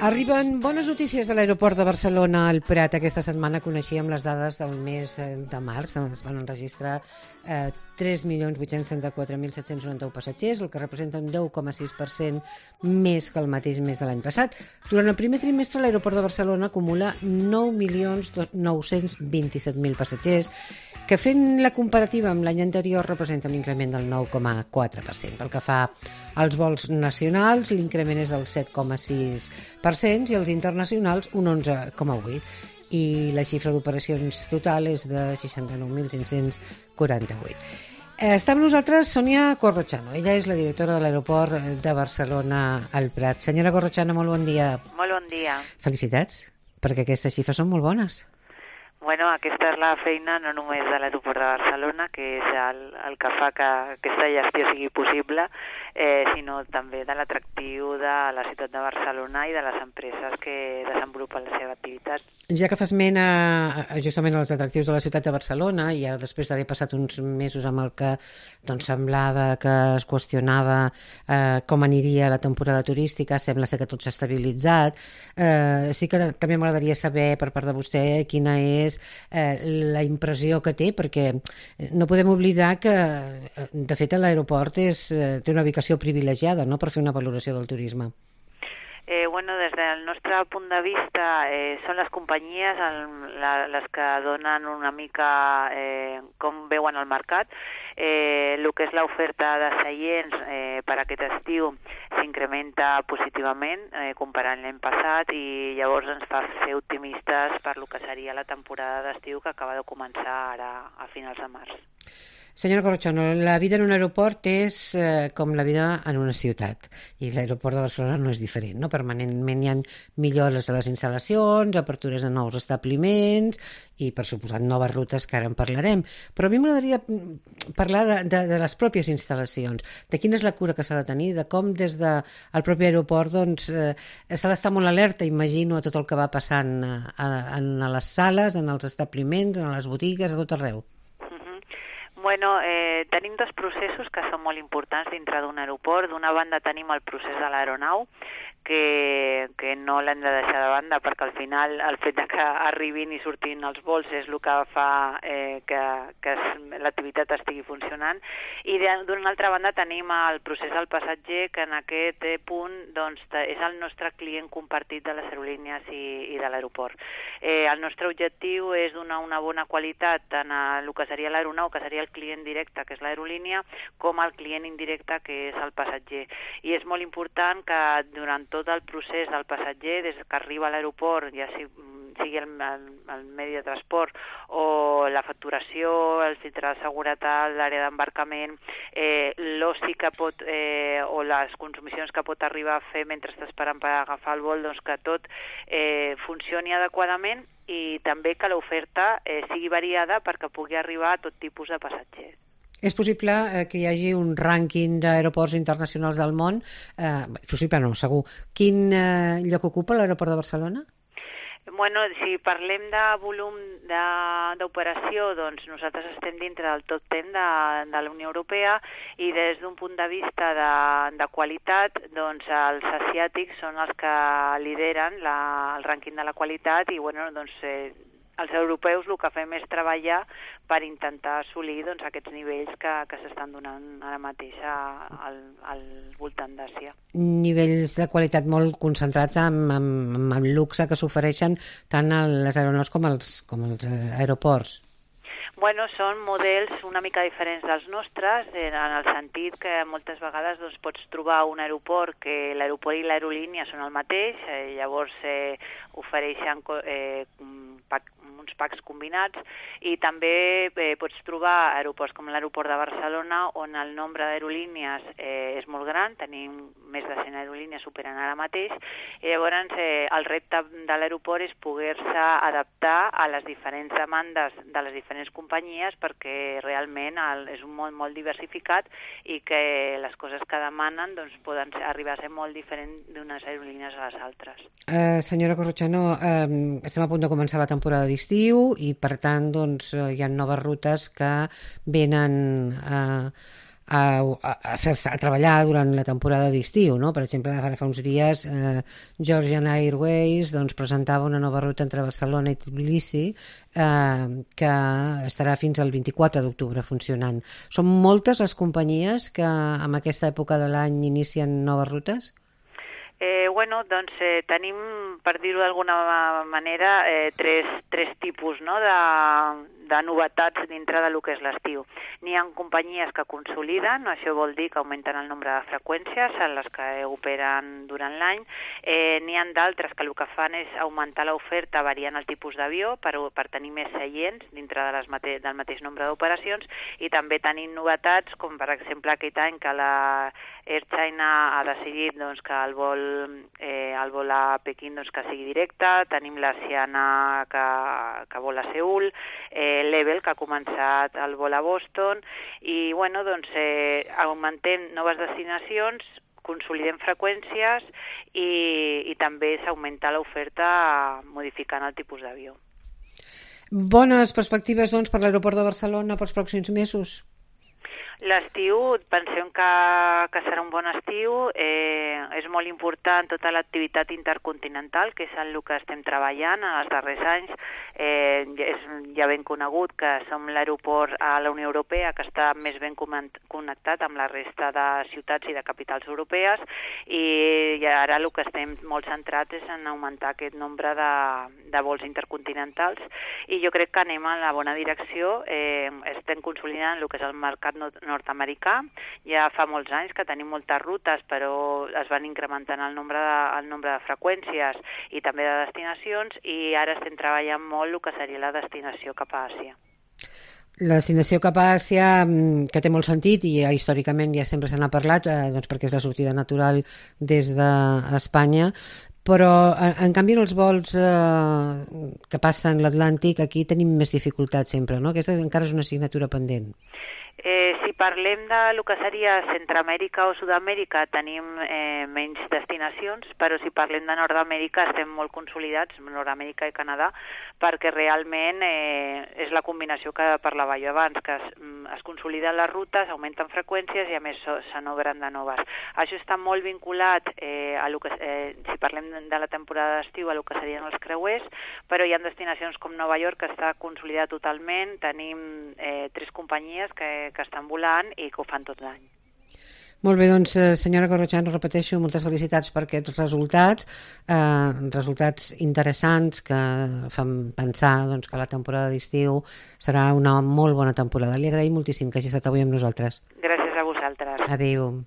Arriben bones notícies de l'aeroport de Barcelona al Prat. Aquesta setmana coneixíem les dades del mes de març. Es van enregistrar 3.834.791 passatgers, el que representa un 10,6% més que el mateix mes de l'any passat. Durant el primer trimestre, l'aeroport de Barcelona acumula 9.927.000 passatgers, que fent la comparativa amb l'any anterior representa un increment del 9,4%. Pel que fa als vols nacionals, l'increment és del 7,6% i els internacionals un 11,8%. I la xifra d'operacions total és de 69.548. Està amb nosaltres Sonia Corrochano. Ella és la directora de l'aeroport de Barcelona al Prat. Senyora Corrochano, molt bon dia. Molt bon dia. Felicitats, perquè aquestes xifres són molt bones. Bueno, aquesta és la feina no només de l'aeroport de Barcelona, que és el que fa que aquesta gestió sigui possible, sinó també de l'atractiu de la ciutat de Barcelona i de les empreses que desenvolupen la seva activitat. Ja que fas esment justament als atractius de la ciutat de Barcelona, i ara després d'haver passat uns mesos amb el que semblava que es qüestionava com aniria la temporada turística, sembla ser que tot s'ha estabilitzat. Sí que també m'agradaria saber per part de vostè quina és la impressió que té, perquè no podem oblidar que, de fet, l'aeroport té una ubicació privilegiada, no?, per fer una valoració del turisme. Bueno, des del nostre punt de vista són les companyies les que donen una mica com veuen el mercat. El que és l'oferta de seients per aquest estiu s'incrementa positivament comparant l'any passat, i llavors ens fa ser optimistes per lo que seria la temporada d'estiu que acaba de començar ara a finals de març. Senyora Corrochano, la vida en un aeroport és com la vida en una ciutat, i l'aeroport de Barcelona no és diferent, no? Permanentment hi ha millores a les instal·lacions, apertures de nous establiments i, per suposat, noves rutes, que ara en parlarem. Però a mi m'agradaria parlar de les pròpies instal·lacions, de quina és la cura que s'ha de tenir, de com des del propi aeroport s'ha d'estar molt alerta, imagino, a tot el que va passant a les sales, en els establiments, en les botigues, a tot arreu. Bueno, tenim dos processos que són molt importants dintre d'un aeroport. D'una banda tenim el procés de l'aeronau, que no l'hem de deixar de banda, perquè al final el fet que arribin i surtin els vols és el que fa que l'activitat estigui funcionant. I d'una altra banda tenim el procés del passatger, que en aquest punt és el nostre client compartit de les aerolínies i de l'aeroport. El nostre objectiu és donar una bona qualitat tant a el que seria l'aeronau, que seria el client directe, que és l'aerolínia, com al client indirecte, que és el passatger. I és molt important que durant tot el procés del passatger, des que arriba a l'aeroport, ja sigui el medi de transport o la facturació, el filtre de seguretat, l'àrea d'embarcament, l'oci que pot o les consumicions que pot arribar a fer mentre està esperant per agafar el vol, que tot funcioni adequadament, i també que l'oferta sigui variada perquè pugui arribar a tot tipus de passatgers. És possible que hi hagi un rànquing d'aeroports internacionals del món? Possible no, segur. Quin lloc ocupa l'aeroport de Barcelona? Bueno, si parlem de volum d'operació, doncs nosaltres estem dintre del top 10 de la Unió Europea, i des d'un punt de vista de qualitat, doncs els asiàtics són els que lideren el rànquing de la qualitat, i bueno, doncs els europeus el que fem és treballar per intentar assolir aquests nivells que s'estan donant ara mateix al voltant d'Àsia. Nivells de qualitat molt concentrats amb el luxe que s'ofereixen tant a les aeronaus com als aeroports. Bueno, són models una mica diferents dels nostres, en el sentit que moltes vegades pots trobar un aeroport que l'aeroport i l'aerolínia són el mateix, llavors ofereixen uns packs combinats, i també pots trobar aeroports com l'aeroport de Barcelona, on el nombre d'aerolínies és molt gran, tenim més de 100 aerolínies superant ara mateix, i llavors el repte de l'aeroport és poder-se adaptar a les diferents demandes de les diferents companyies, perquè realment és un món molt diversificat i que les coses que demanen poden arribar a ser molt diferents d'unes aerolínies a les altres. Senyora Corrochano, estem a punt de començar la temporada d'estiu i, per tant, hi ha noves rutes que venen a treballar durant la temporada d'estiu, no? Per exemple, ara fa uns dies Georgian Airways doncs, presentava una nova ruta entre Barcelona i Tbilisi que estarà fins al 24 d'octubre funcionant. Són moltes les companyies que en aquesta època de l'any inicien noves rutes? Doncs tenim, per dir-ho d'alguna manera, tres tipus, no?, de novetats dintre del que és l'estiu. N'hi ha companyies que consoliden, això vol dir que augmenten el nombre de freqüències en les que operen durant l'any. N'hi ha d'altres que el que fan és augmentar l'oferta variant el tipus d'avió per tenir més seients dintre del mateix nombre d'operacions, i també tenim novetats com per exemple aquest any que la Air China ha decidit que el vol a Pequín que sigui directe, tenim la Siana que vol a Seül, l'Evel que ha començat el vol a Boston, i augmentem noves destinacions, consolidem freqüències i també s'augmenta l'oferta modificant el tipus d'avió. Bones perspectives doncs, per l'aeroport de Barcelona pels pròxims mesos? L'estiu, pensem que serà un bon estiu, és molt important tota l'activitat intercontinental, que és en el que estem treballant en els darrers anys. És ja ben conegut que som l'aeroport a la Unió Europea que està més ben connectat amb la resta de ciutats i de capitals europees, i ara el que estem molt centrats és en augmentar aquest nombre de vols intercontinentals, i jo crec que anem en la bona direcció. Estem consolidant el que és el mercat nord-americà. Ja fa molts anys que tenim moltes rutes, però es van incrementant el nombre de freqüències i també de destinacions, i ara estem treballant molt el que seria la destinació cap a Àsia. La destinació cap a Àsia, que té molt sentit i històricament ja sempre se n'ha parlat, perquè és la sortida natural des d'Espanya, però en canvi en els vols que passen l'Atlàntic aquí tenim més dificultats sempre, no? Aquesta encara és una assignatura pendent. Si parlem del que seria Centroamèrica o Sud-amèrica tenim menys destinacions, però si parlem de Nord-amèrica estem molt consolidats, Nord-amèrica i Canadà, perquè realment és la combinació que parlava jo abans, que es consoliden les rutes, augmenten freqüències i a més se n'obren de noves. Això està molt vinculat, si parlem de la temporada d'estiu, a el que serien els creuers, però hi ha destinacions com Nova York que està consolidat totalment, tenim 3 companyies que estan volant i que ho fan tot l'any. Molt bé, doncs senyora Corrochano, repeteixo, moltes felicitats per aquests resultats, resultats interessants que fan pensar que la temporada d'estiu serà una molt bona temporada. Li agraïm moltíssim que hagi estat avui amb nosaltres. Gràcies a vosaltres. Adéu.